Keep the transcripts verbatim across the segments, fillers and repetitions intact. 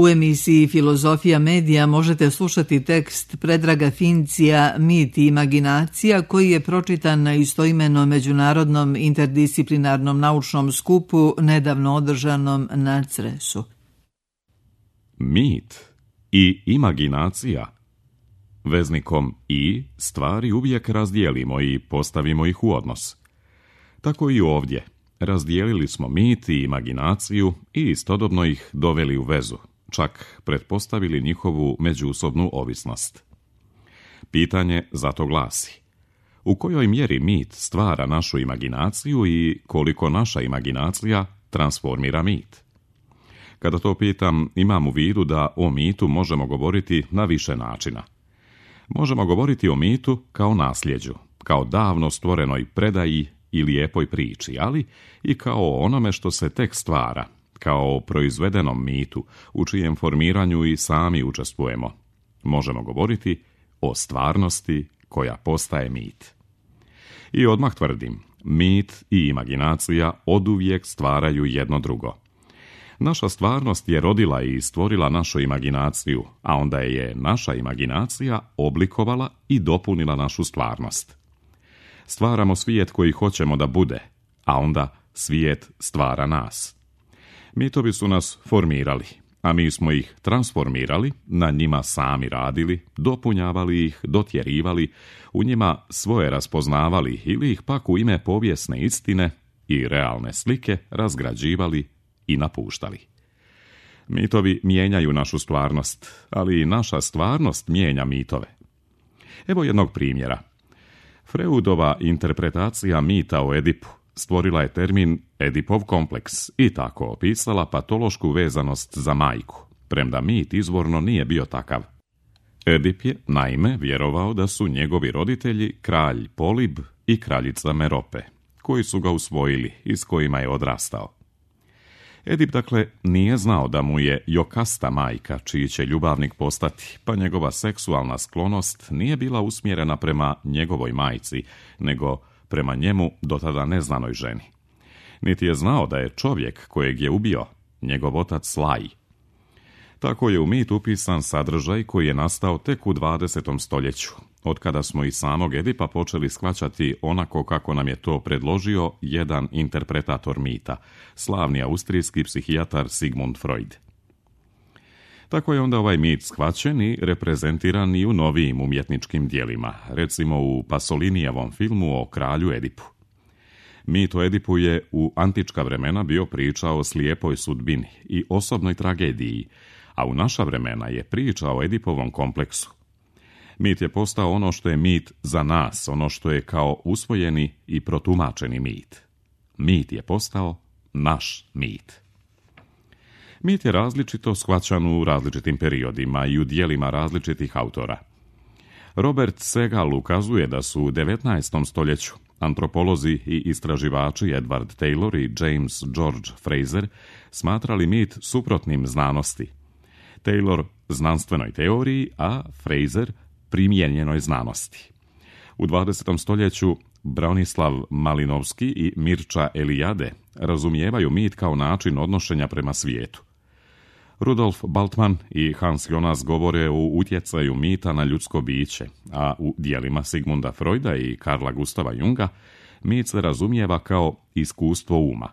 U emisiji Filozofija medija možete slušati tekst Predraga Fincija Mit i imaginacija koji je pročitan na istoimenom međunarodnom interdisciplinarnom naučnom skupu nedavno održanom na Cresu. Mit i imaginacija. Veznikom i stvari uvijek razdijelimo i postavimo ih u odnos. Tako i ovdje. Razdijelili smo mit i imaginaciju i istodobno ih doveli u vezu, čak pretpostavili njihovu međusobnu ovisnost. Pitanje zato glasi: u kojoj mjeri mit stvara našu imaginaciju i koliko naša imaginacija transformira mit? Kada to pitam, imam u vidu da o mitu možemo govoriti na više načina. Možemo govoriti o mitu kao nasljeđu, kao davno stvorenoj predaji i lijepoj priči, ali i kao o onome što se tek stvara, kao o proizvedenom mitu, u čijem formiranju i sami učestvujemo. Možemo govoriti o stvarnosti koja postaje mit. I odmah tvrdim, mit i imaginacija oduvijek stvaraju jedno drugo. Naša stvarnost je rodila i stvorila našu imaginaciju, a onda je naša imaginacija oblikovala i dopunila našu stvarnost. Stvaramo svijet koji hoćemo da bude, a onda svijet stvara nas. Mitovi su nas formirali, a mi smo ih transformirali, na njima sami radili, dopunjavali ih, dotjerivali, u njima svoje raspoznavali ili ih pak u ime povijesne istine i realne slike razgrađivali i napuštali. Mitovi mijenjaju našu stvarnost, ali i naša stvarnost mijenja mitove. Evo jednog primjera. Freudova interpretacija mita o Edipu stvorila je termin Edipov kompleks i tako opisala patološku vezanost za majku, premda mit izvorno nije bio takav. Edip je, naime, vjerovao da su njegovi roditelji kralj Polib i kraljica Merope, koji su ga usvojili i s kojima je odrastao. Edip, dakle, nije znao da mu je Jokasta majka, čiji će ljubavnik postati, pa njegova seksualna sklonost nije bila usmjerena prema njegovoj majci, nego prema njemu do tada neznanoj ženi. Niti je znao da je čovjek kojeg je ubio njegov otac Laj. Tako je u mit upisan sadržaj koji je nastao tek u dvadesetom stoljeću, od kada smo i samog Edipa počeli shvaćati onako kako nam je to predložio jedan interpretator mita, slavni austrijski psihijatar Sigmund Freud. Tako je onda ovaj mit shvaćen i reprezentiran i u novijim umjetničkim dijelima, recimo u Pasolinijevom filmu o kralju Edipu. Mit o Edipu je u antička vremena bio priča o slijepoj sudbini i osobnoj tragediji, a u naša vremena je priča o Edipovom kompleksu. Mit je postao ono što je mit za nas, ono što je kao usvojeni i protumačeni mit. Mit je postao naš mit. Mit je različito shvaćan u različitim periodima i u dijelima različitih autora. Robert Segal ukazuje da su u devetnaestom stoljeću antropolozi i istraživači Edward Taylor i James George Fraser smatrali mit suprotnim znanosti. Taylor znanstvenoj teoriji, a Fraser primijenjenoj znanosti. U dvadesetom stoljeću Bronislav Malinovski i Mirča Eliade razumijevaju mit kao način odnošenja prema svijetu. Rudolf Baltman i Hans Jonas govore o utjecaju mita na ljudsko biće, a u dijelima Sigmunda Freuda i Karla Gustava Junga mit se razumijeva kao iskustvo uma.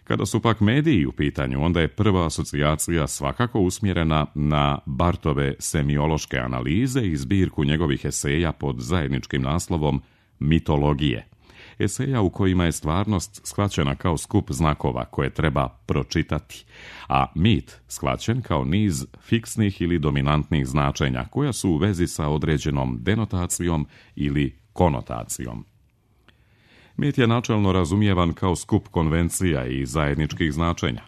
Kada su pak mediji u pitanju, onda je prva asocijacija svakako usmjerena na Barthove semiološke analize i zbirku njegovih eseja pod zajedničkim naslovom Mitologije. Eseja u kojima je stvarnost shvaćena kao skup znakova koje treba pročitati, a mit shvaćen kao niz fiksnih ili dominantnih značenja koja su u vezi sa određenom denotacijom ili konotacijom. Mit je načelno razumijevan kao skup konvencija i zajedničkih značenja.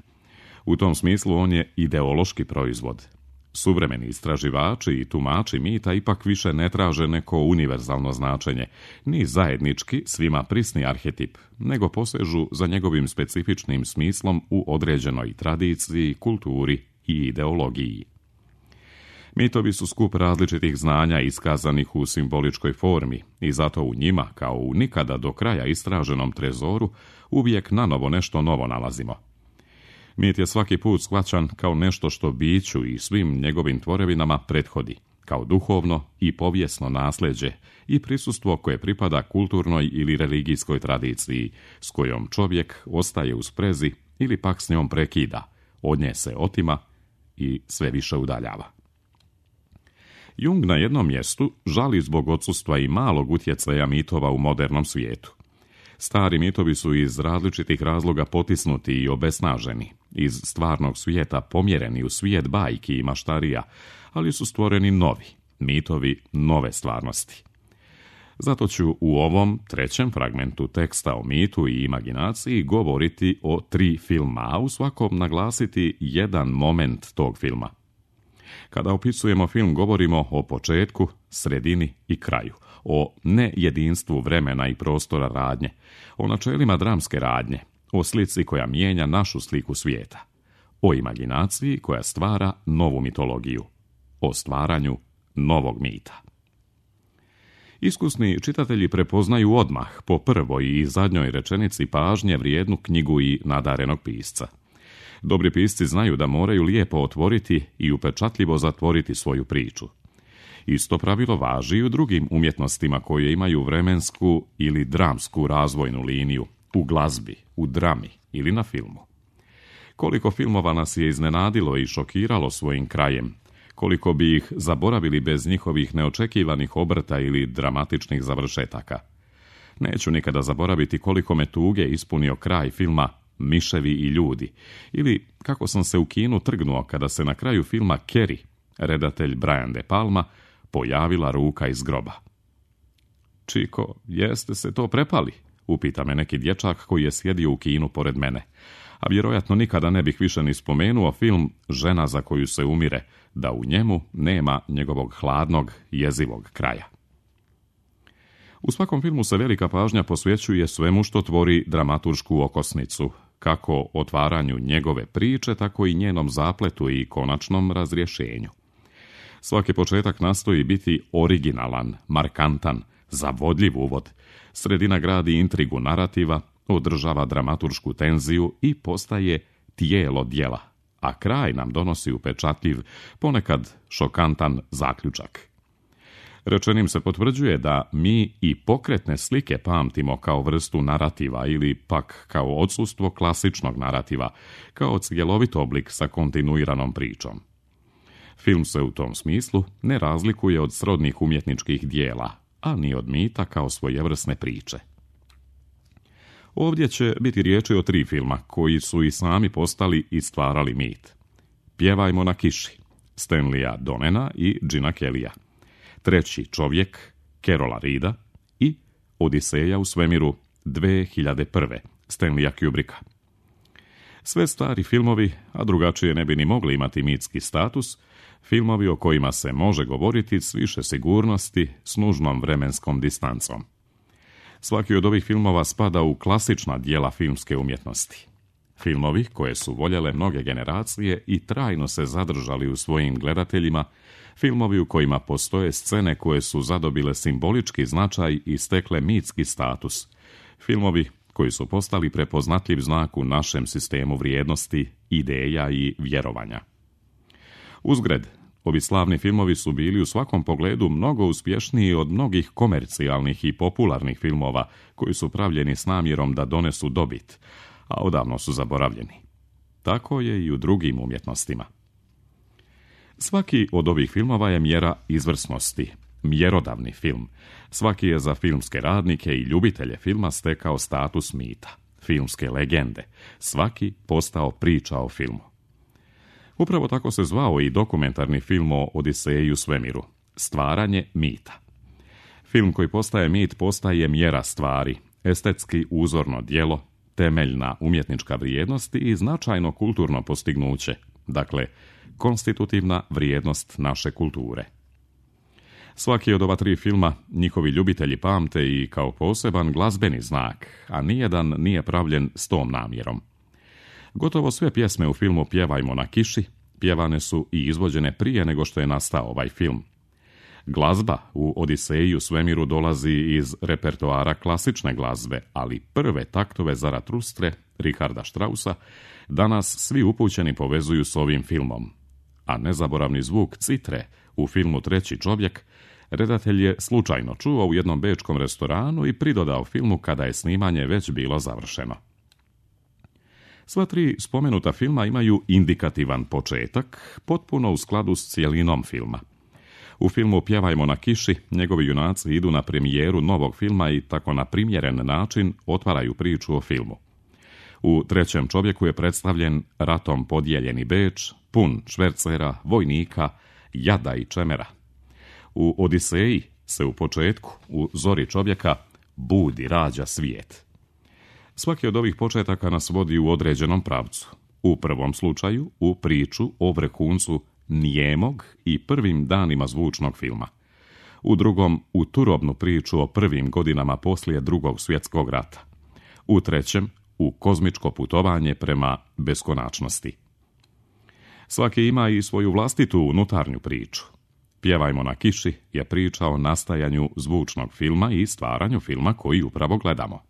U tom smislu on je ideološki proizvod. Suvremeni istraživači i tumači mita ipak više ne traže neko univerzalno značenje, ni zajednički svima prisni arhetip, nego posežu za njegovim specifičnim smislom u određenoj tradiciji, kulturi i ideologiji. Mitovi su skup različitih znanja iskazanih u simboličkoj formi i zato u njima, kao u nikada do kraja istraženom trezoru, uvijek nanovo nešto novo nalazimo. Mit je svaki put shvaćan kao nešto što biću i svim njegovim tvorevinama prethodi, kao duhovno i povijesno nasljeđe i prisustvo koje pripada kulturnoj ili religijskoj tradiciji, s kojom čovjek ostaje u sprezi ili pak s njom prekida, od nje se otima i sve više udaljava. Jung na jednom mjestu žali zbog odsustva i malog utjecaja mitova u modernom svijetu. Stari mitovi su iz različitih razloga potisnuti i obesnaženi, iz stvarnog svijeta pomjereni u svijet bajki i maštarija, ali su stvoreni novi, mitovi nove stvarnosti. Zato ću u ovom trećem fragmentu teksta o mitu i imaginaciji govoriti o tri filma, a u svakom naglasiti jedan moment tog filma. Kada opisujemo film, govorimo o početku, sredini i kraju, o nejedinstvu vremena i prostora radnje, o načelima dramske radnje, o slici koja mijenja našu sliku svijeta, o imaginaciji koja stvara novu mitologiju, o stvaranju novog mita. Iskusni čitatelji prepoznaju odmah po prvoj i zadnjoj rečenici pažnje vrijednu knjigu i nadarenog pisca. Dobri pisci znaju da moraju lijepo otvoriti i upečatljivo zatvoriti svoju priču. Isto pravilo važi i u drugim umjetnostima koje imaju vremensku ili dramsku razvojnu liniju, u glazbi, u drami ili na filmu. Koliko filmova nas je iznenadilo i šokiralo svojim krajem, koliko bi ih zaboravili bez njihovih neočekivanih obrta ili dramatičnih završetaka. Neću nikada zaboraviti koliko me tuge ispunio kraj filma Miševi i ljudi, ili kako sam se u kinu trgnuo kada se na kraju filma Carrie, redatelj Brian De Palma, pojavila ruka iz groba. Čiko, jeste se to prepali? Upita me neki dječak koji je sjedio u kinu pored mene. A vjerojatno nikada ne bih više ni spomenuo film Žena za koju se umire, da u njemu nema njegovog hladnog, jezivog kraja. U svakom filmu se velika pažnja posvećuje svemu što tvori dramaturšku okosnicu, kako otvaranju njegove priče, tako i njenom zapletu i konačnom razrješenju. Svaki početak nastoji biti originalan, markantan, zavodljiv uvod, sredina gradi intrigu narativa, održava dramaturšku tenziju i postaje tijelo djela, a kraj nam donosi upečatljiv, ponekad šokantan zaključak. Rečenim se potvrđuje da mi i pokretne slike pamtimo kao vrstu narativa ili pak kao odsustvo klasičnog narativa, kao cjelovit oblik sa kontinuiranom pričom. Film se u tom smislu ne razlikuje od srodnih umjetničkih dijela, a ni od mita kao svojevrsne priče. Ovdje će biti riječi o tri filma koji su i sami postali i stvarali mit. Pjevajmo na kiši, Stanleya Donena i Gina Kellya. Treći čovjek, Carola Reeda i Odiseja u svemiru dve hiljade prve. Stanleya Kubricka. Sve stari filmovi, a drugačije ne bi ni mogli imati mitski status, filmovi o kojima se može govoriti s više sigurnosti, s nužnom vremenskom distancom. Svaki od ovih filmova spada u klasična dijela filmske umjetnosti. Filmovi koje su voljele mnoge generacije i trajno se zadržali u svojim gledateljima, filmovi u kojima postoje scene koje su zadobile simbolički značaj i stekle mitski status, filmovi koji su postali prepoznatljiv znak u našem sistemu vrijednosti, ideja i vjerovanja. Uzgred, ovi slavni filmovi su bili u svakom pogledu mnogo uspješniji od mnogih komercijalnih i popularnih filmova koji su pravljeni s namjerom da donesu dobit, a odavno su zaboravljeni. Tako je i u drugim umjetnostima. Svaki od ovih filmova je mjera izvrsnosti, mjerodavni film. Svaki je za filmske radnike i ljubitelje filma stekao status mita, filmske legende. Svaki postao priča o filmu. Upravo tako se zvao i dokumentarni film o Odiseji u svemiru, stvaranje mita. Film koji postaje mit postaje mjera stvari, estetski uzorno djelo, temeljna umjetnička vrijednost i značajno kulturno postignuće, dakle, konstitutivna vrijednost naše kulture. Svaki od ova tri filma njihovi ljubitelji pamte i kao poseban glazbeni znak, a nijedan nije pravljen s tom namjerom. Gotovo sve pjesme u filmu Pjevajmo na kiši pjevane su i izvođene prije nego što je nastao ovaj film. Glazba u Odiseji u svemiru dolazi iz repertoara klasične glazbe, ali prve taktove Zaratustre, Richarda Straussa, danas svi upućeni povezuju s ovim filmom. A nezaboravni zvuk citre u filmu Treći čovjek redatelj je slučajno čuo u jednom bečkom restoranu i pridodao filmu kada je snimanje već bilo završeno. Sva tri spomenuta filma imaju indikativan početak, potpuno u skladu s cijelinom filma. U filmu Pjevajmo na kiši njegovi junaci idu na premijeru novog filma i tako na primjeren način otvaraju priču o filmu. U Trećem čovjeku je predstavljen ratom podijeljeni Beč, pun švercera, vojnika, jada i čemera. U Odiseji se u početku, u Zori čovjeka, budi, rađa svijet. Svaki od ovih početaka nas vodi u određenom pravcu. U prvom slučaju, u priču o vrhuncu nijemog i prvim danima zvučnog filma. U drugom, u turobnu priču o prvim godinama poslije Drugog svjetskog rata. U trećem, u kozmičko putovanje prema beskonačnosti. Svaki ima i svoju vlastitu unutarnju priču. Pjevajmo na kiši je priča o nastajanju zvučnog filma i stvaranju filma koji upravo gledamo.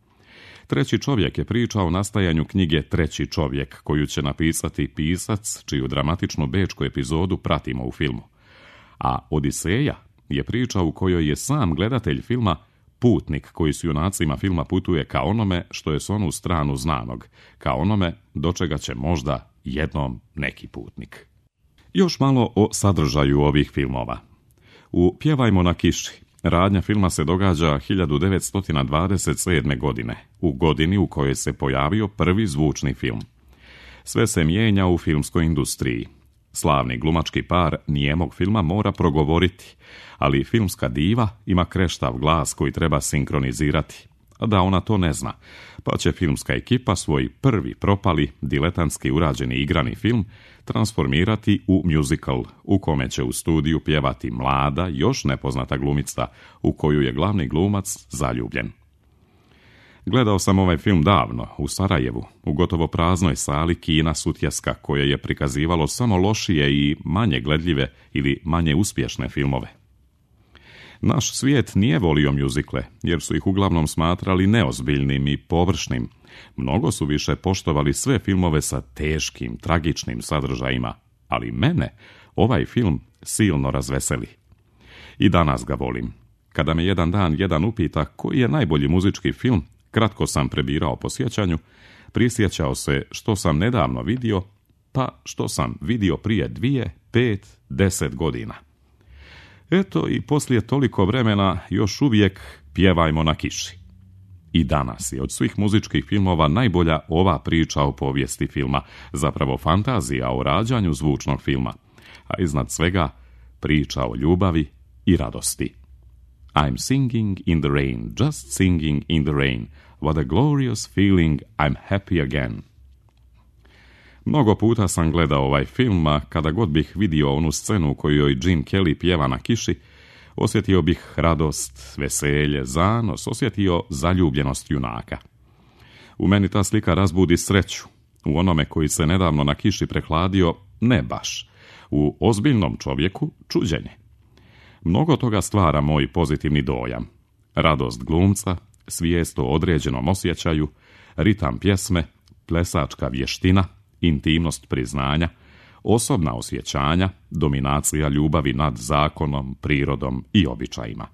Treći čovjek je priča o nastajanju knjige Treći čovjek, koju će napisati pisac, čiju dramatičnu bečku epizodu pratimo u filmu. A Odiseja je priča u kojoj je sam gledatelj filma putnik koji s junacima filma putuje ka onome što je s onu stranu znanog, ka onome do čega će možda jednom neki putnik. Još malo o sadržaju ovih filmova. U Pjevajmo na kiši radnja filma se događa hiljadu devetsto dvadeset sedme. godine, u godini u kojoj se pojavio prvi zvučni film. Sve se mijenja u filmskoj industriji. Slavni glumački par nijemog filma mora progovoriti, ali filmska diva ima kreštav glas koji treba sinkronizirati, a da ona to ne zna, pa će filmska ekipa svoj prvi propali, diletantski urađeni igrani film transformirati u musical, u kome će u studiju pjevati mlada, još nepoznata glumica, u koju je glavni glumac zaljubljen. Gledao sam ovaj film davno, u Sarajevu, u gotovo praznoj sali kina Sutjeska, koje je prikazivalo samo lošije i manje gledljive ili manje uspješne filmove. Naš svijet nije volio mjuzikle, jer su ih uglavnom smatrali neozbiljnim i površnim. Mnogo su više poštovali sve filmove sa teškim, tragičnim sadržajima, ali mene ovaj film silno razveseli. I danas ga volim. Kada me jedan dan jedan upita koji je najbolji muzički film, kratko sam prebirao po sjećanju, prisjećao se što sam nedavno vidio, pa što sam vidio prije dvije, pet, deset godina. Eto i poslije toliko vremena još uvijek Pjevajmo na kiši. I danas je od svih muzičkih filmova najbolja ova priča o povijesti filma, zapravo fantazija o rađanju zvučnog filma, a iznad svega priča o ljubavi i radosti. I'm singing in the rain, just singing in the rain. What a glorious feeling, I'm happy again. Mnogo puta sam gledao ovaj film, a kada god bih vidio onu scenu u kojoj Jim Kelly pjeva na kiši, osjetio bih radost, veselje, zanos, osjetio zaljubljenost junaka. U meni ta slika razbudi sreću, u onome koji se nedavno na kiši prehladio, ne baš, u ozbiljnom čovjeku čuđenje. Mnogo toga stvara moj pozitivni dojam. Radost glumca, svijest o određenom osjećaju, ritam pjesme, plesačka vještina, intimnost priznanja, osobna osjećanja, dominacija ljubavi nad zakonom, prirodom i običajima.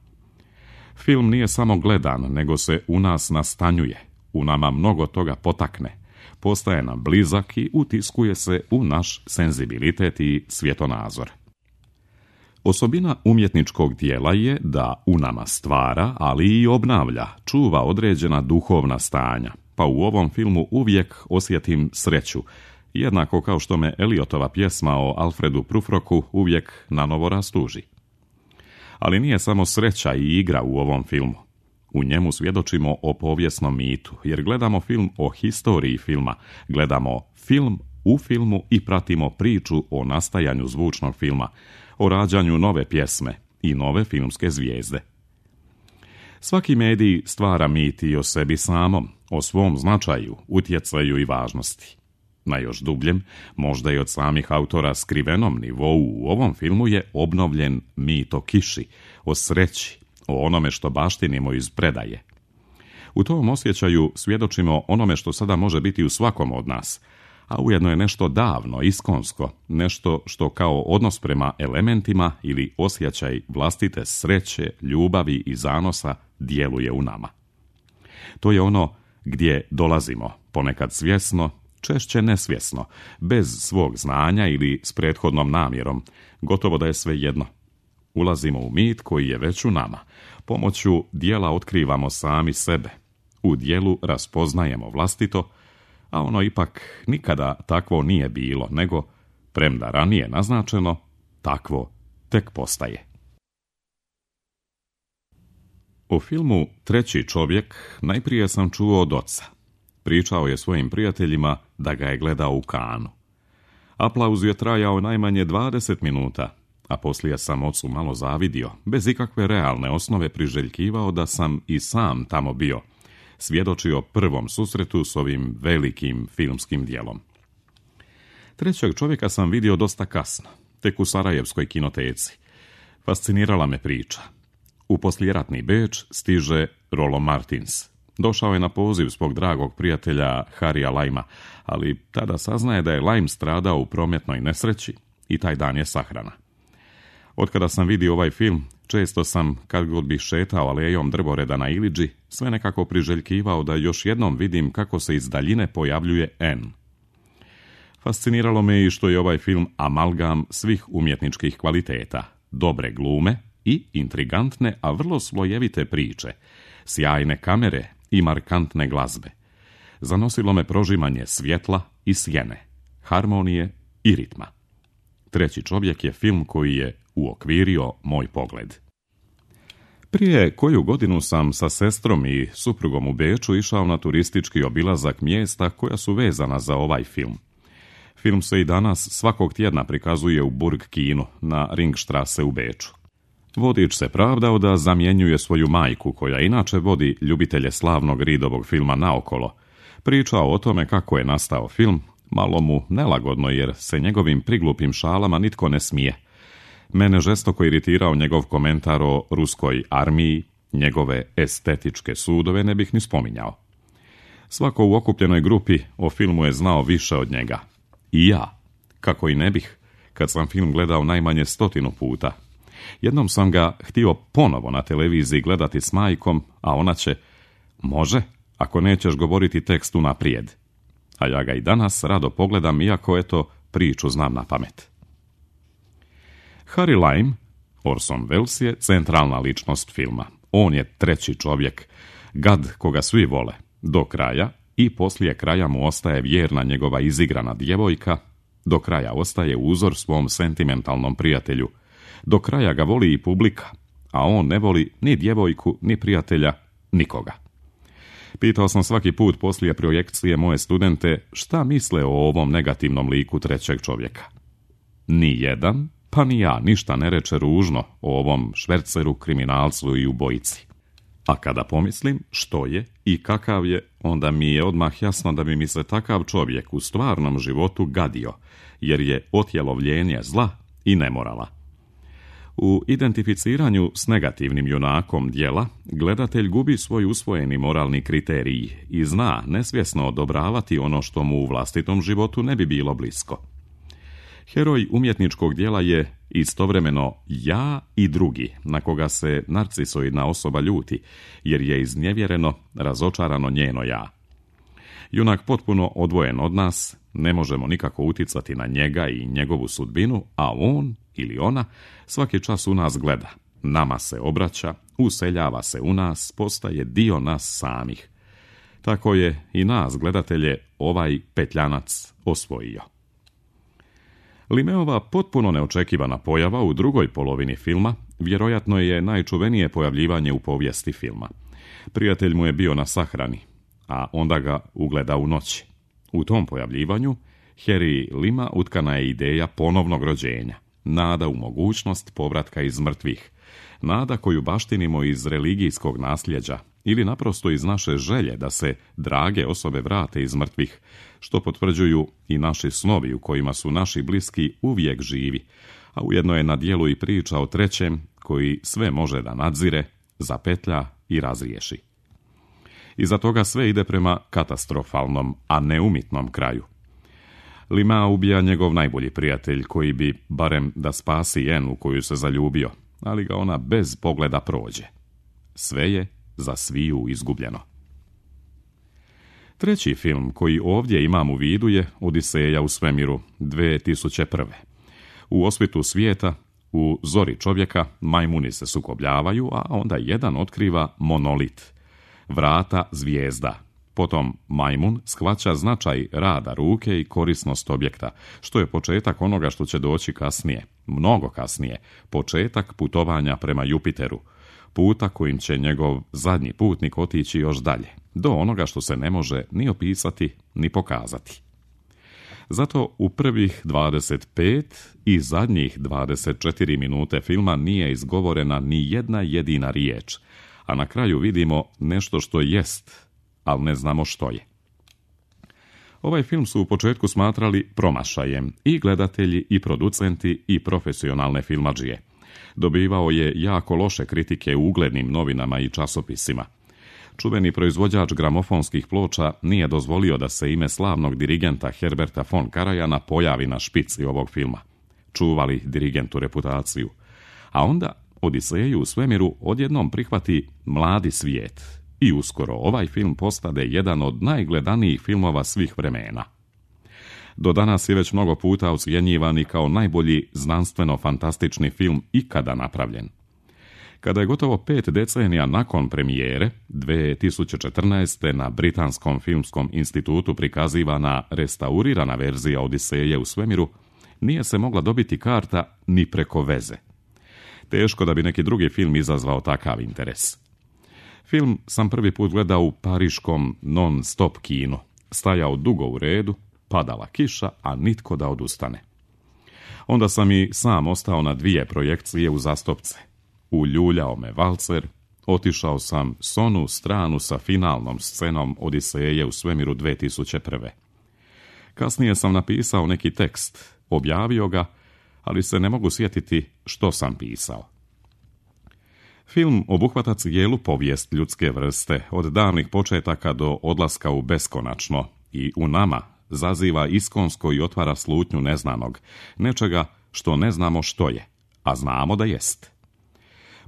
Film nije samo gledan, nego se u nas nastanjuje, u nama mnogo toga potakne, postaje nam blizak i utiskuje se u naš senzibilitet i svjetonazor. Osobina umjetničkog dijela je da u nama stvara, ali i obnavlja, čuva određena duhovna stanja, pa u ovom filmu uvijek osjetim sreću, jednako kao što me Eliotova pjesma o Alfredu Prufrocku uvijek nanovo rastuži. Ali nije samo sreća i igra u ovom filmu. U njemu svjedočimo o povijesnom mitu, jer gledamo film o historiji filma, gledamo film u filmu i pratimo priču o nastajanju zvučnog filma, o rađanju nove pjesme i nove filmske zvijezde. Svaki medij stvara mit i o sebi samom, o svom značaju, utjecaju i važnosti. Na još dubljem, možda i od samih autora skrivenom nivou, u ovom filmu je obnovljen mit o kiši, o sreći, o onome što baštinimo iz predaje. U tom osjećaju svjedočimo onome što sada može biti u svakom od nas, a ujedno je nešto davno, iskonsko, nešto što kao odnos prema elementima ili osjećaj vlastite sreće, ljubavi i zanosa djeluje u nama. To je ono gdje dolazimo, ponekad svjesno, češće nesvjesno, bez svog znanja ili s prethodnom namjerom, gotovo da je sve jedno. Ulazimo u mit koji je već u nama. Pomoću dijela otkrivamo sami sebe. U dijelu raspoznajemo vlastito, a ono ipak nikada takvo nije bilo, nego, premda ranije naznačeno, takvo tek postaje. U filmu Treći čovjek najprije sam čuo od oca. Pričao je svojim prijateljima da ga je gledao u Kanu. Aplauz je trajao najmanje dvadeset minuta, a poslije sam ocu malo zavidio, bez ikakve realne osnove priželjkivao da sam i sam tamo bio, svjedočio prvom susretu s ovim velikim filmskim dijelom. Trećeg čovjeka sam vidio dosta kasno, tek u sarajevskoj kinoteci. Fascinirala me priča. U poslijeratni Beč stiže Rollo Martins. Došao je na poziv svog dragog prijatelja Harrya Limea, ali tada saznaje da je Lime stradao u prometnoj nesreći i taj dan je sahrana. Otkada sam vidio ovaj film, često sam, kad god bih šetao alejom drvoreda na Iliđi, sve nekako priželjkivao da još jednom vidim kako se iz daljine pojavljuje N. Fasciniralo me i što je ovaj film amalgam svih umjetničkih kvaliteta, dobre glume i intrigantne, a vrlo slojevite priče, sjajne kamere i markantne glazbe. Zanosilo me prožimanje svjetla i sjene, harmonije i ritma. Treći čovjek je film koji je uokvirio moj pogled. Prije koju godinu sam sa sestrom i suprugom u Beču išao na turistički obilazak mjesta koja su vezana za ovaj film. Film se i danas svakog tjedna prikazuje u Burg kinu na Ringstrasse u Beču. Vodič se pravdao da zamjenjuje svoju majku, koja inače vodi ljubitelje slavnog Reedovog filma naokolo. Pričao o tome kako je nastao film, malo mu nelagodno jer se njegovim priglupim šalama nitko ne smije. Mene žestoko iritirao njegov komentar o ruskoj armiji, njegove estetičke sudove ne bih ni spominjao. Svako u okupljenoj grupi o filmu je znao više od njega. I ja, kako i ne bih, kad sam film gledao najmanje stotinu puta. Jednom sam ga htio ponovo na televiziji gledati s majkom, a ona će, može, ako nećeš govoriti tekst unaprijed. A ja ga i danas rado pogledam, iako eto priču znam na pamet. Harry Lime, Orson Welles, je centralna ličnost filma. On je treći čovjek, gad koga svi vole, do kraja, i poslije kraja mu ostaje vjerna njegova izigrana djevojka, do kraja ostaje uzor svom sentimentalnom prijatelju, do kraja ga voli i publika, a on ne voli ni djevojku, ni prijatelja, nikoga. Pitao sam svaki put poslije projekcije moje studente šta misle o ovom negativnom liku trećeg čovjeka. Ni jedan, pa ni ja, ništa ne reče ružno o ovom šverceru, kriminalcu i ubojici. A kada pomislim što je i kakav je, onda mi je odmah jasno da bi mi se takav čovjek u stvarnom životu gadio, jer je otjelovljenje zla i nemorala. U identificiranju s negativnim junakom djela, gledatelj gubi svoj usvojeni moralni kriterij i zna nesvjesno odobravati ono što mu u vlastitom životu ne bi bilo blisko. Heroj umjetničkog djela je istovremeno ja i drugi, na koga se narcisoidna osoba ljuti, jer je iznevjereno, razočarano njeno ja. Junak potpuno odvojen od nas, ne možemo nikako uticati na njega i njegovu sudbinu, a on ili ona svaki čas u nas gleda, nama se obraća, useljava se u nas, postaje dio nas samih. Tako je i nas, gledatelje, ovaj petljanac osvojio. Limeova potpuno neočekivana pojava u drugoj polovini filma vjerojatno je najčuvenije pojavljivanje u povijesti filma. Prijatelj mu je bio na sahrani, a onda ga ugleda u noći. U tom pojavljivanju Harry Limea utkana je ideja ponovnog rođenja, nada u mogućnost povratka iz mrtvih, nada koju baštinimo iz religijskog nasljeđa ili naprosto iz naše želje da se drage osobe vrate iz mrtvih, što potvrđuju i naši snovi u kojima su naši bliski uvijek živi, a ujedno je na djelu i priča o trećem koji sve može da nadzire, zapetlja i razriješi. Iza toga sve ide prema katastrofalnom, a neumitnom kraju. Lima ubija njegov najbolji prijatelj koji bi, barem da spasi Jen u koju se zaljubio, ali ga ona bez pogleda prođe. Sve je za sviju izgubljeno. Treći film koji ovdje imam u vidu je Odiseja u svemiru dvije tisuće prve. U osvitu svijeta, u zori čovjeka, majmuni se sukobljavaju, a onda jedan otkriva monolit, vrata zvijezda. Potom majmun shvaća značaj rada ruke i korisnost objekta, što je početak onoga što će doći kasnije, mnogo kasnije, početak putovanja prema Jupiteru, puta kojim će njegov zadnji putnik otići još dalje, do onoga što se ne može ni opisati, ni pokazati. Zato u prvih dvadeset pet i zadnjih dvadeset četiri minute filma nije izgovorena ni jedna jedina riječ, a na kraju vidimo nešto što jest, ali ne znamo što je. Ovaj film su u početku smatrali promašajem i gledatelji i producenti i profesionalne filmadžije. Dobivao je jako loše kritike u uglednim novinama i časopisima. Čuveni proizvođač gramofonskih ploča nije dozvolio da se ime slavnog dirigenta Herberta von Karajana pojavi na špici ovog filma. Čuvali dirigentu reputaciju. A onda Odiseju u svemiru odjednom prihvati mladi svijet i uskoro ovaj film postade jedan od najgledanijih filmova svih vremena. Do danas je već mnogo puta ocjenjivan i kao najbolji znanstveno-fantastični film ikada napravljen. Kada je gotovo pet decenija nakon premijere, dvije tisuće četrnaeste. na Britanskom filmskom institutu prikazivana restaurirana verzija Odiseje u svemiru, nije se mogla dobiti karta ni preko veze. Teško da bi neki drugi film izazvao takav interes. Film sam prvi put gledao u pariškom non-stop kinu. Stajao dugo u redu, padala kiša, a nitko da odustane. Onda sam i sam ostao na dvije projekcije uzastopce. Uljuljao me valcer, otišao sam s onu stranu sa finalnom scenom Odiseje u svemiru dvije tisuće prve. Kasnije sam napisao neki tekst, objavio ga, ali se ne mogu sjetiti što sam pisao. Film obuhvata cijelu povijest ljudske vrste, od davnih početaka do odlaska u beskonačno, i u nama zaziva iskonsko i otvara slutnju neznanog, nečega što ne znamo što je, a znamo da jest.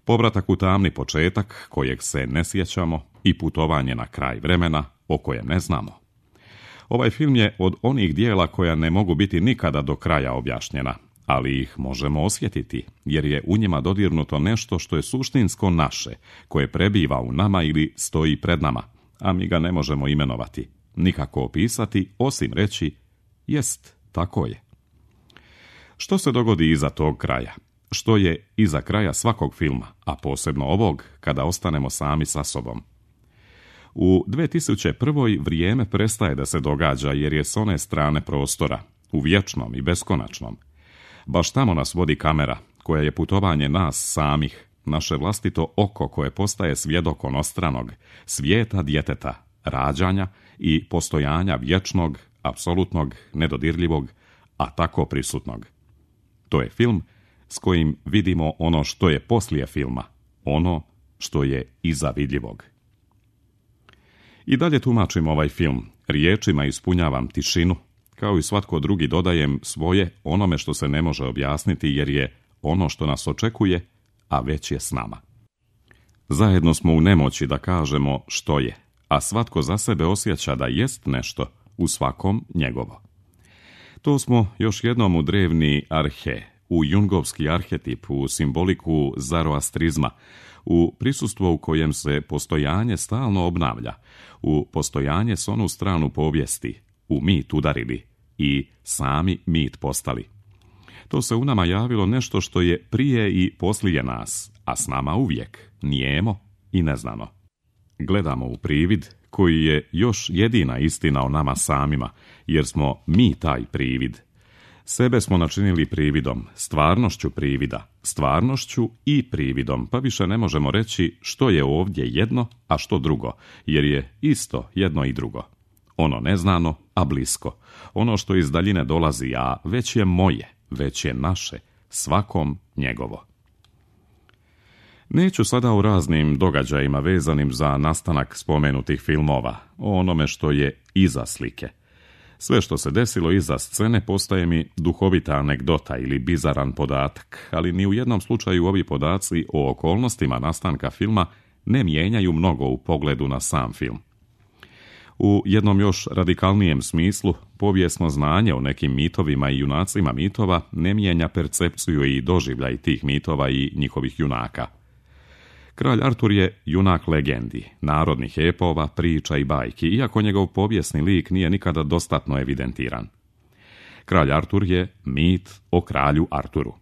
Povratak u tamni početak, kojeg se ne sjećamo, i putovanje na kraj vremena, o kojem ne znamo. Ovaj film je od onih dijela koja ne mogu biti nikada do kraja objašnjena, ali ih možemo osjetiti, jer je u njima dodirnuto nešto što je suštinsko naše, koje prebiva u nama ili stoji pred nama, a mi ga ne možemo imenovati, nikako opisati, osim reći, jest, tako je. Što se dogodi iza tog kraja? Što je iza kraja svakog filma, a posebno ovog, kada ostanemo sami sa sobom? U dvije tisuće prve. vrijeme prestaje da se događa jer je s one strane prostora, u vječnom i beskonačnom. Baš tamo nas vodi kamera, koja je putovanje nas samih, naše vlastito oko koje postaje svjedok onostranog, svijeta djeteta, rađanja i postojanja vječnog, apsolutnog, nedodirljivog, a tako prisutnog. To je film s kojim vidimo ono što je poslije filma, ono što je iza vidljivog. I dalje tumačim ovaj film, riječima ispunjavam tišinu, kao i svatko drugi dodajem svoje onome što se ne može objasniti jer je ono što nas očekuje, a već je s nama. Zajedno smo u nemoći da kažemo što je, a svatko za sebe osjeća da jest nešto, u svakom njegovo. To smo još jednom u drevni arhe, u jungovski arhetip, u simboliku zaroastrizma, u prisustvu u kojem se postojanje stalno obnavlja, u postojanje s onu stranu povijesti, u mit udarili i sami mit postali. To se u nama javilo nešto što je prije i poslije nas, a s nama uvijek, nijemo i neznano. Gledamo u privid koji je još jedina istina o nama samima, jer smo mi taj privid. Sebe smo načinili prividom, stvarnošću privida, stvarnošću i prividom, pa više ne možemo reći što je ovdje jedno, a što drugo, jer je isto jedno i drugo. Ono neznano a blisko. Ono što iz daljine dolazi, a već je moje, već je naše, svakom njegovo. Neću sada u raznim događajima vezanim za nastanak spomenutih filmova, o onome što je iza slike. Sve što se desilo iza scene postaje mi duhovita anegdota ili bizaran podatak, ali ni u jednom slučaju ovi podaci o okolnostima nastanka filma ne mijenjaju mnogo u pogledu na sam film. U jednom još radikalnijem smislu, povijesno znanje o nekim mitovima i junacima mitova ne mijenja percepciju i doživljaj tih mitova i njihovih junaka. Kralj Artur je junak legendi, narodnih epova, priča i bajki, iako njegov povijesni lik nije nikada dostatno evidentiran. Kralj Artur je mit o kralju Arturu.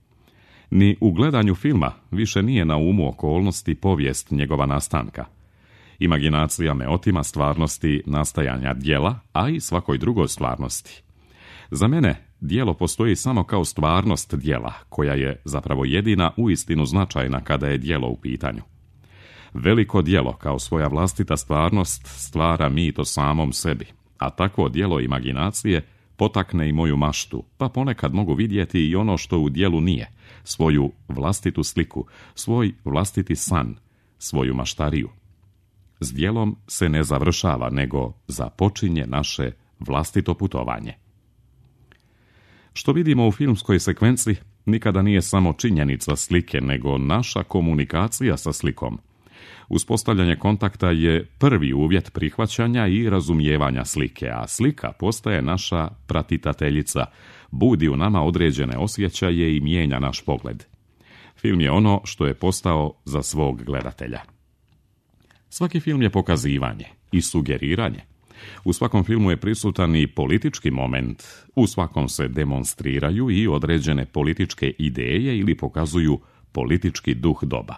Ni u gledanju filma više nije na umu okolnosti povijest njegova nastanka. Imaginacija me otima stvarnosti nastajanja djela, a i svakoj drugoj stvarnosti. Za mene djelo postoji samo kao stvarnost djela, koja je zapravo jedina uistinu značajna kada je djelo u pitanju. Veliko djelo kao svoja vlastita stvarnost stvara mit o samom sebi, a takvo djelo imaginacije potakne i moju maštu, pa ponekad mogu vidjeti i ono što u djelu nije, svoju vlastitu sliku, svoj vlastiti san, svoju maštariju. S djelom se ne završava, nego započinje naše vlastito putovanje. Što vidimo u filmskoj sekvenci nikada nije samo činjenica slike, nego naša komunikacija sa slikom. Uspostavljanje kontakta je prvi uvjet prihvaćanja i razumijevanja slike, a slika postaje naša pratiteljica, budi u nama određene osjećaje i mijenja naš pogled. Film je ono što je postao za svog gledatelja. Svaki film je pokazivanje i sugeriranje. U svakom filmu je prisutan i politički moment, u svakom se demonstriraju i određene političke ideje ili pokazuju politički duh doba.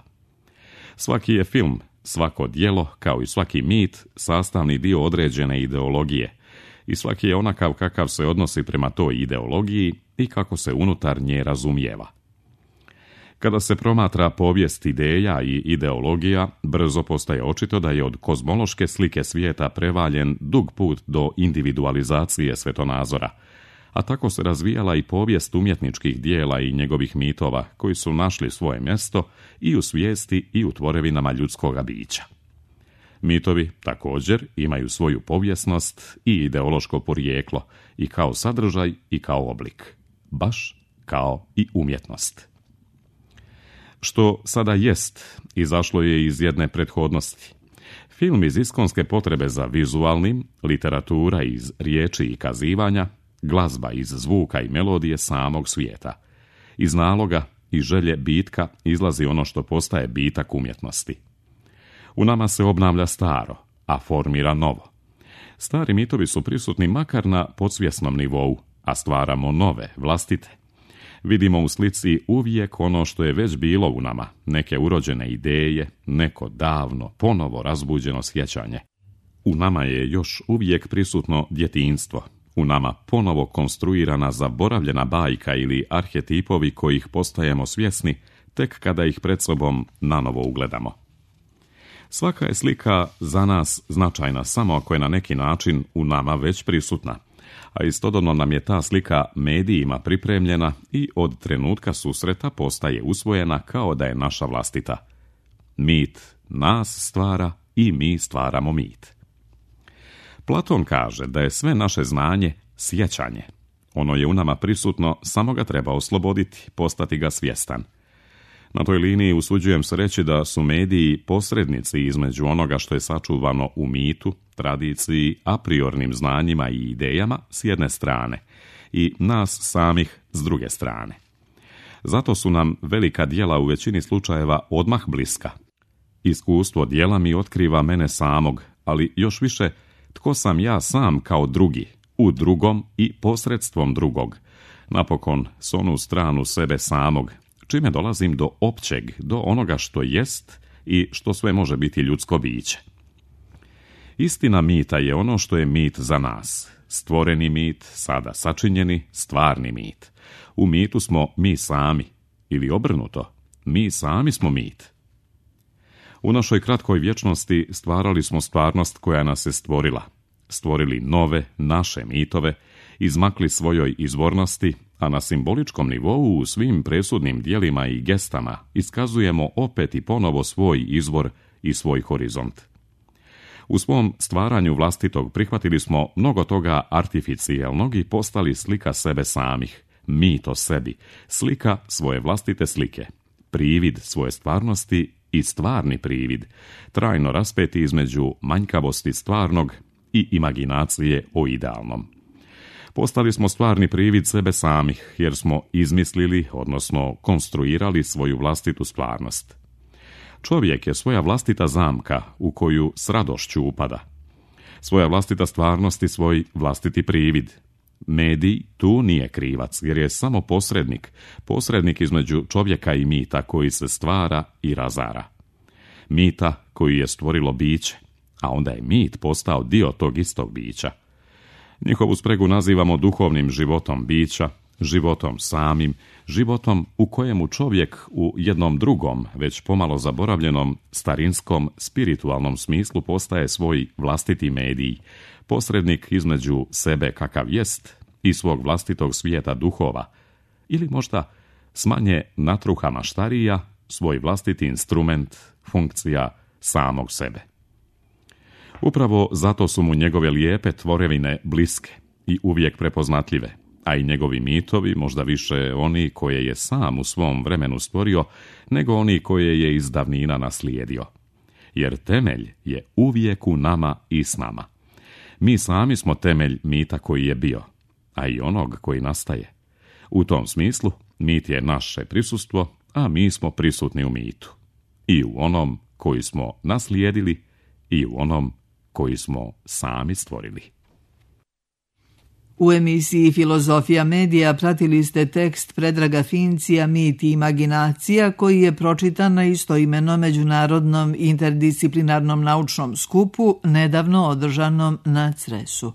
Svaki je film, svako djelo, kao i svaki mit, sastavni dio određene ideologije i svaki je onakav kakav se odnosi prema toj ideologiji i kako se unutar nje razumijeva. Kada se promatra povijest ideja i ideologija, brzo postaje očito da je od kozmološke slike svijeta prevaljen dug put do individualizacije svetonazora, a tako se razvijala i povijest umjetničkih dijela i njegovih mitova koji su našli svoje mjesto i u svijesti i u tvorevinama ljudskoga bića. Mitovi također imaju svoju povijesnost i ideološko porijeklo i kao sadržaj i kao oblik, baš kao i umjetnost. Što sada jest, izašlo je iz jedne prethodnosti. Film iz iskonske potrebe za vizualnim, literatura iz riječi i kazivanja, glazba iz zvuka i melodije samog svijeta. Iz naloga i želje bitka izlazi ono što postaje bitak umjetnosti. U nama se obnavlja staro, a formira novo. Stari mitovi su prisutni makar na podsvjesnom nivou, a stvaramo nove, vlastite. Vidimo u slici uvijek ono što je već bilo u nama, neke urođene ideje, neko davno, ponovo razbuđeno sjećanje. U nama je još uvijek prisutno djetinjstvo, u nama ponovo konstruirana zaboravljena bajka ili arhetipovi kojih postajemo svjesni tek kada ih pred sobom nanovo ugledamo. Svaka je slika za nas značajna samo ako je na neki način u nama već prisutna, a istodobno nam je ta slika medijima pripremljena i od trenutka susreta postaje usvojena kao da je naša vlastita. Mit nas stvara i mi stvaramo mit. Platon kaže da je sve naše znanje sjećanje. Ono je u nama prisutno, samo ga treba osloboditi, postati ga svjestan. Na toj liniji usuđujem se reći da su mediji posrednici između onoga što je sačuvano u mitu, tradiciji, a priornim znanjima i idejama s jedne strane i nas samih s druge strane. Zato su nam velika djela u većini slučajeva odmah bliska. Iskustvo djela mi otkriva mene samog, ali još više tko sam ja sam kao drugi, u drugom i posredstvom drugog, napokon s onu stranu sebe samog, čime dolazim do općeg, do onoga što jest i što sve može biti ljudsko biće. Istina mita je ono što je mit za nas. Stvoreni mit, sada sačinjeni, stvarni mit. U mitu smo mi sami, ili obrnuto, mi sami smo mit. U našoj kratkoj vječnosti stvarali smo stvarnost koja nas je stvorila. stvorili nove, naše mitove, izmakli svojoj izvornosti, a na simboličkom nivou u svim presudnim dijelima i gestama iskazujemo opet i ponovo svoj izvor i svoj horizont. U svom stvaranju vlastitog prihvatili smo mnogo toga artificijelnog i postali slika sebe samih, mit o sebi, slika svoje vlastite slike, privid svoje stvarnosti i stvarni privid, trajno raspeti između manjkavosti stvarnog i imaginacije o idealnom. Postali smo stvarni privid sebe samih, jer smo izmislili, odnosno konstruirali svoju vlastitu stvarnost. Čovjek je svoja vlastita zamka u koju s radošću upada. Svoja vlastita stvarnost i svoj vlastiti privid. Medij tu nije krivac, jer je samo posrednik, posrednik između čovjeka i mita koji se stvara i razara. Mita koji je stvorilo biće, a onda je mit postao dio tog istog bića. Njihovu spregu nazivamo duhovnim životom bića, životom samim, životom u kojemu čovjek u jednom drugom, već pomalo zaboravljenom, starinskom, spiritualnom smislu postaje svoj vlastiti medij, posrednik između sebe kakav jest i svog vlastitog svijeta duhova, ili možda s manje natruha maštarija, svoj vlastiti instrument, funkcija samog sebe. Upravo zato su mu njegove lijepe tvorevine bliske i uvijek prepoznatljive, a i njegovi mitovi možda više oni koje je sam u svom vremenu stvorio, nego oni koje je iz davnina naslijedio. Jer temelj je uvijek u nama i s nama. Mi sami smo temelj mita koji je bio, a i onog koji nastaje. U tom smislu, mit je naše prisustvo, a mi smo prisutni u mitu. I u onom koji smo naslijedili i u onom koji smo sami stvorili. U emisiji Filozofija medija pratili ste tekst Predraga Fincija Mit i imaginacija koji je pročitan na istoimenom međunarodnom interdisciplinarnom naučnom skupu nedavno održanom na Cresu.